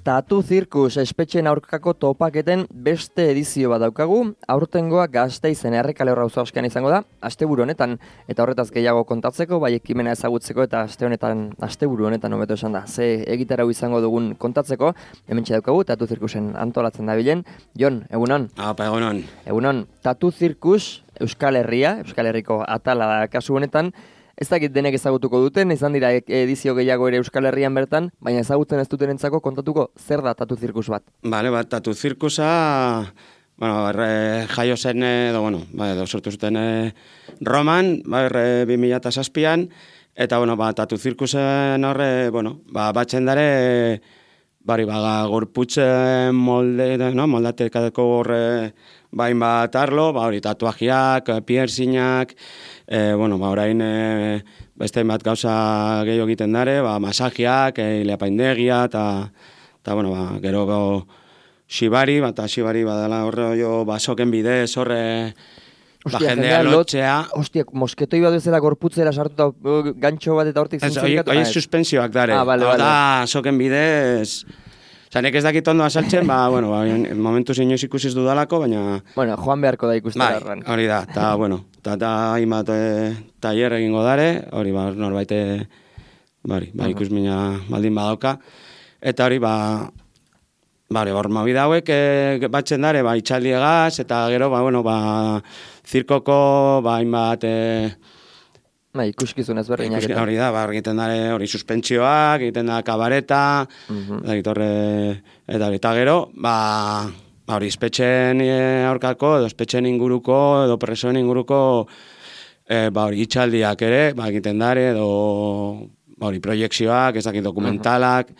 Tatu Zirkus espetxeen aurkako topaketen beste edizio bat daukagu, aurtengoa Gasteizen Errekale auzoan izango da, asteburu honetan, eta horretaz gehiago kontatzeko, bai ekimena ezagutzeko eta asteburu honetan hobeto esan da, ze egitarau izango dugun kontatzeko, hementxe daukagu Tatu Zirkusen antolatzen dabilen. Jon, egunon? Apa, egunon. Egunon, Tatu Zirkus Euskal Herriko atala da kasu honetan. Ez dakit denek ezagutuko duten, izan dira edizio gehiago ere Euskal Herrian bertan, baina ezagutzen ez dutenentzako kontatuko zer da Tatu Zirkus bat? Bale, Tatu Zirkusa, jaio zen, edo sortu zuten Roman, 2007an, eta, Tatu Zirkusen horre, batzen dare, gorputz moldatekadeko horre, bain bat arlo, tatuajiak, piercingak, orain beste bat gauza gehiago egiten dare, masajiak, ileapaindegia, eta gero shibari, badala horre basoken bidez, horre jendea lotxea. Hostia, mosketoi bat bezala gorputzera sartuta gantxo bat eta hortik zintzilikatu? Hoi suspensioak dare, soken bidez. Nek ez dakit ondo asaltzen, momentu inoiz ikusiz dudalako, baina... joan beharko da ikustera erran. Hori da, eta hainbat tailer egingo dare, hori norbait ikusmina baldin badauka. Eta hori, hor mobida hauek batzen dare, itxaldiegaz, eta gero, zirkoko, hainbat... ikuskizun ezberdinak. Hori da, egiten dare hori suspentsioak, egiten da kabareta, eta gero, hori espetxen aurkako, edo espetxen inguruko, edo presoen inguruko, hori itxaldiak ere, egiten dare, edo hori proiekzioak, ezakit dokumentalak,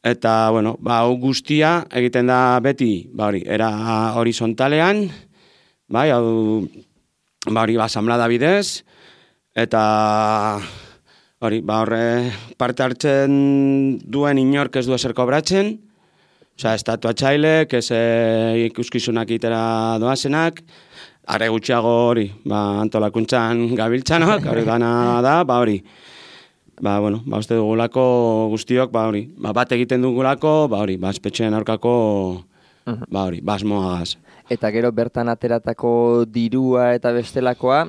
eta, hau guztia egiten da beti, era horizontalean, hori asamblada bidez, eta hori, horre parte hartzen duen inork ez du ezer kobratzen, estatuatxailek, ez ikuskizunak itera doazenak, are gutxiago hori, antolakuntzan gabiltzanok, hori gana da, hori, uste dugulako guztiok, bat egiten dugulako, espetxeen aurkako, asmoagaz. Eta gero bertan ateratako dirua eta bestelakoa,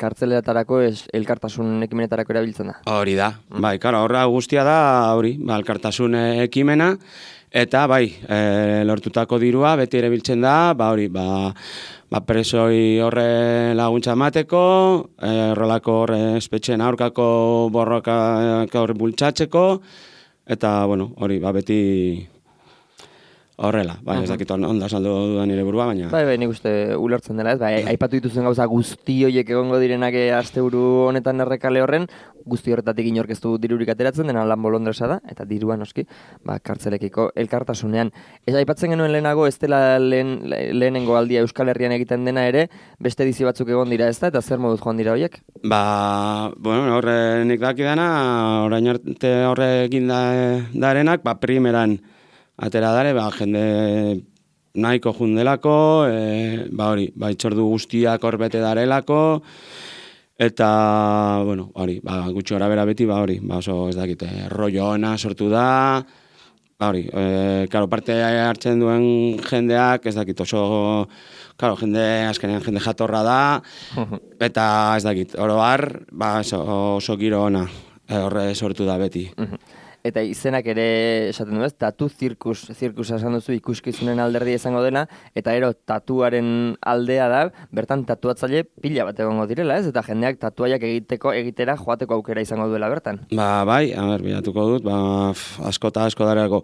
kartzeletarako elkartasun ekimenetarako erabiltzen da. Hori da, horra guztia da, elkartasun ekimena, eta lortutako dirua beti erabiltzen da, presoi horre laguntza emateko, horrelako horre espetxeen aurkako borroka horre bultzatzeko, eta hori beti... Horrela, ez dakit onda saldo dudan nire burua, baina... Nik uste ulertzen dela, ez? Aipatu dituzen gauza guzti horiek egongo direnak asteburu honetan Errekale horren, guzti horretatik inork ez du dirurik ateratzen, dena lan bolondresa da, eta dirua noski, kartzelekiko elkartasunean. Ez aipatzen genuen lehenago, ez dela lehenengo aldia Euskal Herrian egiten dena ere, beste edizio batzuk egon dira ez da, eta zer moduz joan dira horiek? Horre nik dakidana, orain arte horre egin darenak, primeran, atera dare, jende nahiko jundelako, itxordu guztiak horbete darelako, eta, gutxi gora bera beti, oso ez dakite, rollo ona sortu da, parte hartzen duen jendeak, ez dakit, oso, azkenean jende jatorra da, eta ez dakit, oroar, oso giro ona, horre sortu da beti. Eta izenak ere esaten du ez, Tatu Zirkusa esan duzu ikuskizunen alderdia izango dena, eta tatuaren aldea da, bertan tatuatzaile pila bat egongo direla ez, eta jendeak tatuaiak egitera joateko aukera izango duela bertan. Bilatuko dut, asko eta asko darelako.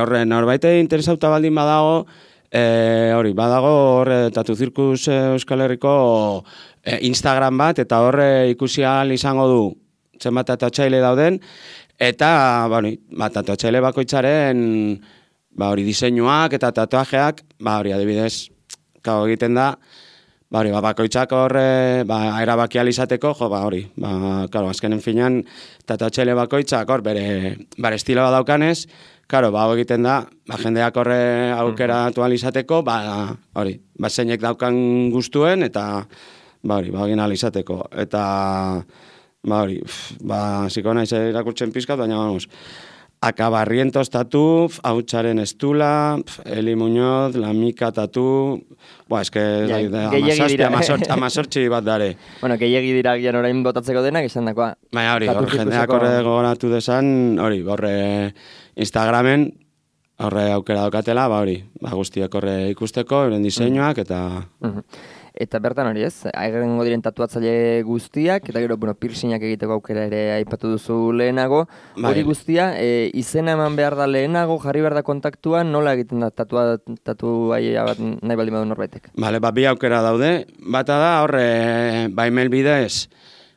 Horre, norbaite interesauta baldin badago, badago Tatu Zirkus Euskal Herriko Instagram bat, eta horre ikusi ahal izango du zenbat tatuatzaile dauden, eta, tatuatzaile bakoitzaren, diseinuak eta tatuajeak, adibidez, egiten da, bakoitzak horre, erabaki alizateko, azkenen finan, tatuatzaile bakoitzak hor, bere estiloa daukanez, egiten da, jendeak horre aukera alizateko, zeinek daukan guztuen, eta, egin alizateko, eta... ziko naiz irakurtzen pizkat, baina, Akabarrientos tatu, hautsaren estula, Eli Muñoz, Lamika tatu, amazortzi bat dare. Bueno, gehiagi dira gian orain botatzeko denak, esan dakoa. Baina hori, jendeak horre gogoratu desan, hori, horre Instagramen, horre aukera daukatela, hori, guztiak horre ikusteko, euren diseinuak, eta... Eta bertan hori ez, aigengo diren tatuatzaile guztiak, eta gero, piercingak egiteko aukera ere aipatu duzu lehenago. Hori guztia, izena eman behar da lehenago, jarri behar da kontaktua, nola egiten da tatuaia bat nahi baldin badu norbaitek? Bale, bi aukera daude. Bata da, horre, email bidez,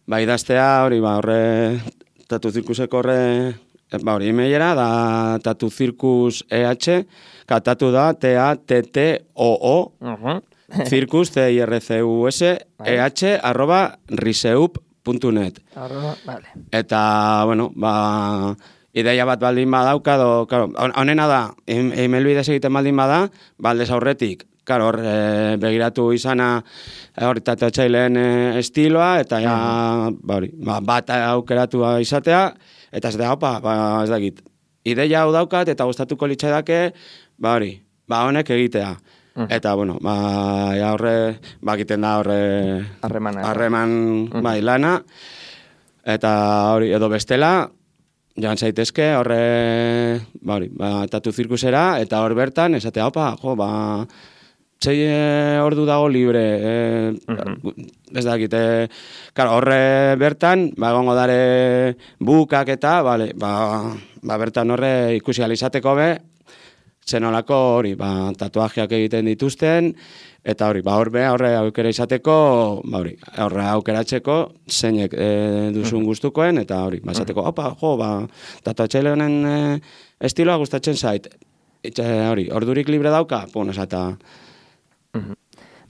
idaztea, hori, horre, tatuzirkuseko horre, hori, emailera, da tatuzirkus tatu da, TATTOO, Circus, CIRCUS, @riseup.net. Vale. Eta, ideia bat baldin badauka, honena da, email bidez egiten baldin bada, baldez aurretik, hor begiratu izana hori tatuatzaileen estiloa, eta bat aukeratua izatea, eta ez da, ez dakit. Ideia hau daukat, eta gustatuko litzaidake, honek egitea. Eta, horre, egiten da horre harreman lana, eta hori, edo bestela, joan zaitezke horre, tatu zirkusera, eta hor bertan, esatea, sei ordu dago libre, ez dakit, horre bertan, egongo dare bukak eta, bertan horre ikusi alizateko be, zenolako hori, tatuajeak egiten dituzten, eta hori, horre aukera izateko, horre aukeratzeko, zeinek duzun gustukoen, eta hori, esateko, tatuatzaile honen estiloa gustatzen zait. Hori, ordurik libre dauka, esata...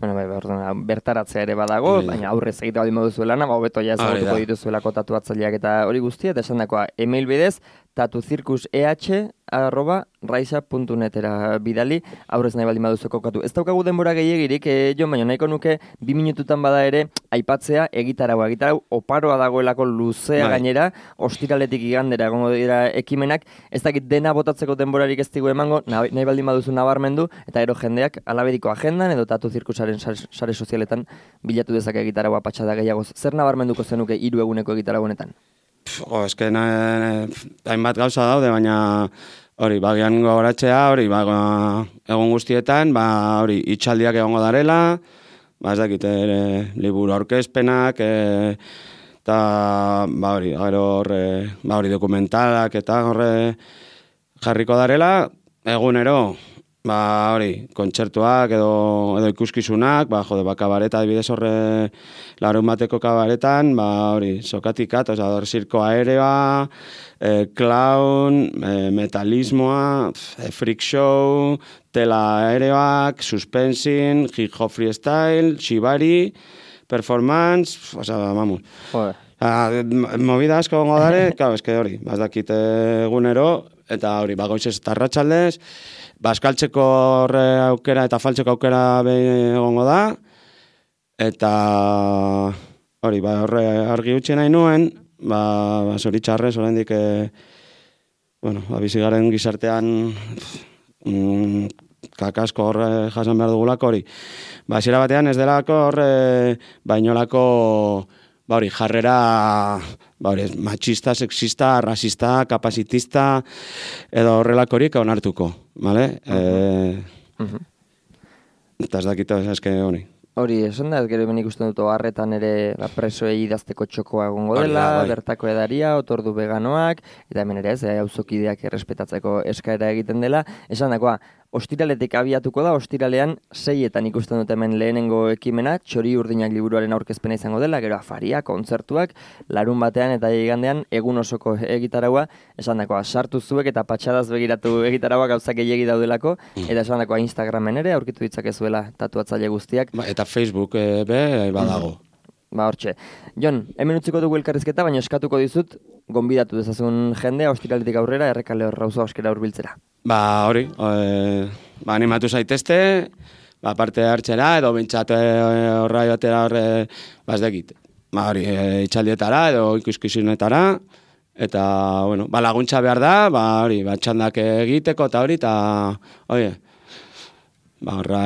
Bertaratzea ere badago, baina aurrez egitea baldin moduzu lana, hobeto ja ezagutuko dituzuelako tatuatzaileak eta hori guztia, eta esan dakoa, email bidez, tatuzirkuseh@raisa.netera bidali, aurrez nahi baldin baduzu kokatu. Ez daukagu denbora gehiagirik, Jon, baina nahiko nuke 2 minututan bada ere aipatzea egitarau oparoa dagoelako luzea gainera, ostiraletik igandera egongo dira ekimenak, ez dakit dena botatzeko denborarik ez digu emango, nahi baldin baduzu nabarmendu, eta ero jendeak alaberiko agendan edo tatuzirkusaren sare sozialetan bilatu dezake egitaraua patxada gehiagoz. Zer nabarmenduko zenuke 3 eguneko egitarau honetan? Eske hainbat gauza daude, baina hori, bagian gogoratzea, hori, egun guztietan, hori, itxaldiak egongo darela, ez dakit, liburu aurkezpenak, eta, hori, dokumentalak, eta horre jarriko darela, egunero, hori, kontzertuak edo ikuskizunak, kabareta adibidez horre larun bateko kabaretan, hori, sokatikat, hor zirko aerea, clown, metalismoa, freak show, tela aereak, suspensin, hip hop freestyle, shibari, performance, vamos. Movida asko gongo dare, eske hori, dakit egunero, eta hori, goizez eta arratsaldez, eskaltzeko horre aukera eta faltzeko aukera egongo da, eta hori, horre argi utzi nahi nuen, zoritxarrez, oraindik, bizigaren gizartean kakasko horre jasan behar dugulako hori. Hasiera batean ez delako horre bainolako jarrera machista, sexista, rasista, kapazitista, edo horrelakorik onartuko, bale? Eta ez dakito, eske hori. Hori, esan da, gero hemen ikusten dut harretan ere presoei idazteko txokoa egongo dela, bertako edaria, otordu veganoak, eta hemen ere ez, auzokideak errespetatzeko eskaera egiten dela. Esan dakoa, ostiraletik abiatuko da, ostiralean 6etan ikusten dut hemen lehenengo ekimena, Txori Urdinak liburuaren aurkezpena izango dela, gero afaria, kontzertuak, larun batean eta igandean egun osoko egitaraua, esan dakoa, sartu zuek eta patxadaz begiratu egitaraua gauzak gehiegi daudelako, eta esan dakoa Instagramen ere, aurkitu ditzakezuela tatuatzaile guztiak. Eta Facebook badago. Hortxe. Jon, hemen utziko dugu elkarrizketa, baina eskatuko dizut, gonbidatu dezazun jendea, ostiraletik aurrera, Errekale Auzo Askera hurbiltzera. Hori, animatu zaitezte, parte hartzera, edo bintzat horra joatera horre, ez dakit. Hori, itxaldietara, edo ikuskizunetara, Eta, bueno, ba, laguntza behar da, ba, hori, ba, txandak egiteko eta hori, eta, oie, ba, horra,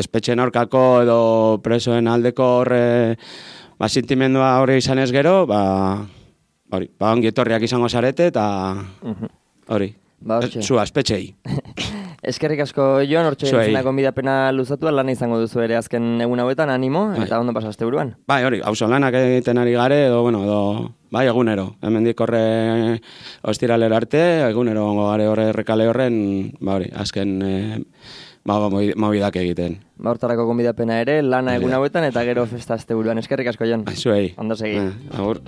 espetxen aurkako edo presoen aldeko horre, ba, sentimendua hori izan ez gero, ba, hori, ba, ongi etorriak izango zarete, eta, hori, Ba, hortxe. zua, espetxei. Eskerrik asko, Jon, hortxe Zuei. zenako gonbidapena luzatu, lana izango duzu ere azken egun hauetan, animo, eta ondo pasaste buruan. Bai, hori, auzo lanak egiten ari gare, edo, bueno, edo, bai, egunero. Hemendik horre ostiralera arte, egunero gongo gare horre errekale horren, ba, hori, azken, ba, mobidak egiten. Ba, hortarako gonbidapena ere, lana egun hauetan, eta gero festa asteburuan. Eskerrik asko, Jon. Zuei. Ondo segi. Agur.